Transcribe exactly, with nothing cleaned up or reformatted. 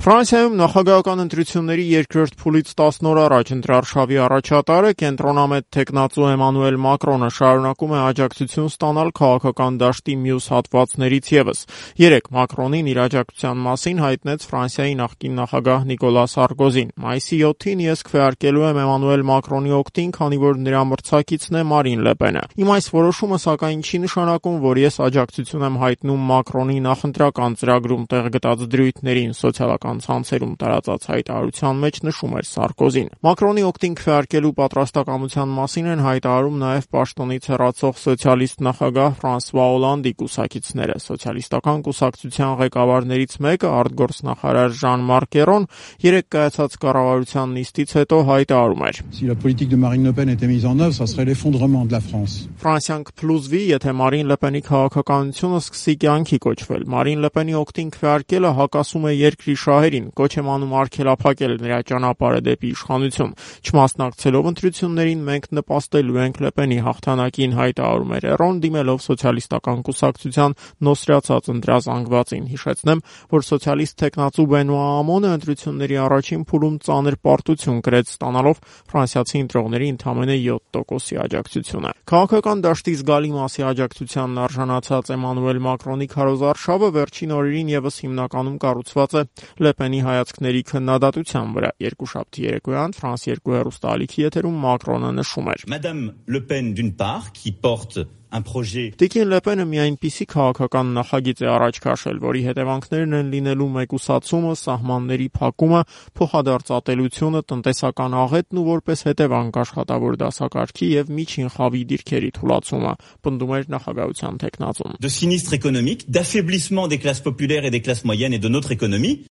Ֆրանսիայում նախագահական ընտրությունների երկրորդ փուլից տասն օր առաջ ընտրարշավի առաջատարը կենտրոնամետ թեկնածու Էմանուել Մակրոնը շարունակում է աջակցություն ստանալ քաղաքական դաշտի մյուս հատվածներից ևս։ Երեկ Մակրոնին իր աջակցության մասին հայտնեց Ֆրանսիայի նախկին նախագահ Նիկոլա Սարկոզին։ Մայիսի յոթին ես քվեարկելու եմ Էմանուել Մակրոնի օգտին, քանի որ նրա մրցակիցն է Մարին Լեպենը։ Իմ այս որոշումը սակայն չի նշանակում, որ ես աջակցություն եմ հայտնում Մակրոնի նախընտրական ծրագրում տեղ գտած դրույթներին, սոցիալական ցանցերում տարածած հայտարարության մեջ նշում էր Սարկոզին։ Մակրոնի օգտին քվեարկելու պատրաստակամության մասին են հայտարարում նաև պաշտոնից հեռացող սոցիալիստ նախագահ Ֆրանսուଆ Օլանդի կուսակիցները։ Սոցիալիստական կուսակցության ղեկավարներից մեկը, արտգործնախարար Ժան-Մարկ Կերոն, երեկ կայացած կառավարության նիստից հետո հայտարարում էր. Si la politique de Marine Le Pen était mise en œuvre, ça serait l'effondrement de la France. Ֆրանսիան կփլուզվի, եթե Մարին Լեպենի քաղաքականությունը սկսի կյանքի կոչվել։ Մարին Լեպենի օգտին քվեարկելը հակասում է երկրի շահերին, կոչ եմ անում արգելափակել նրա ճանապարհը դեպի իշխանություն։ Չմասնակցելով ընտրություններին մենք նպաստելու ենք Լեպենի հաղթանակին, հայտարարում էր Էրոն, դիմելով սոցիալիստական կուսակցության նոսրացած ընտրազանգվածին։ Հիշեցնեմ, որ սոցիալիստ թեկնածու Բենուա Ամոնը ընտրությունների առաջին փուլում ծանր պարտություն կրեց, ստանալով ֆրանսիացի ընտրողների ընդամենը յոթ տոկոսի աջակցությունը։ Քաղաքական դաշտի զգալի մասի աջակցությանն արժանացած Էմանուել Մակրոնի քարոզարշավը վերջին օրերին ևս հիմնականում կառուցված է Լեպենի հայացքների քննադատության վրա։ Երկուշաբթի երեկոյան Ֆրանս երկու հեռուստաալիքի եթերում Մակրոնը նշում էր. Madame Le Pen d'une part qui porte un projet Տիկին Լեպենը մի այնպիսի քաղաքական նախագիծ է առաջ քաշել, որի հետևանքներն են լինելու մեկուսացումը, սահմանների փակումը, փոխադարձատելությունը, տնտեսական աղետն ու որպես հետևանք աշխատավոր դասակարգի եւ միջին խավի դիրքերի թուլացումը, պնդում էր նախագահության թեկնածուն։ de sinistre économique, d'affaiblissement des classes populaires et des classes moyennes et de notre économie.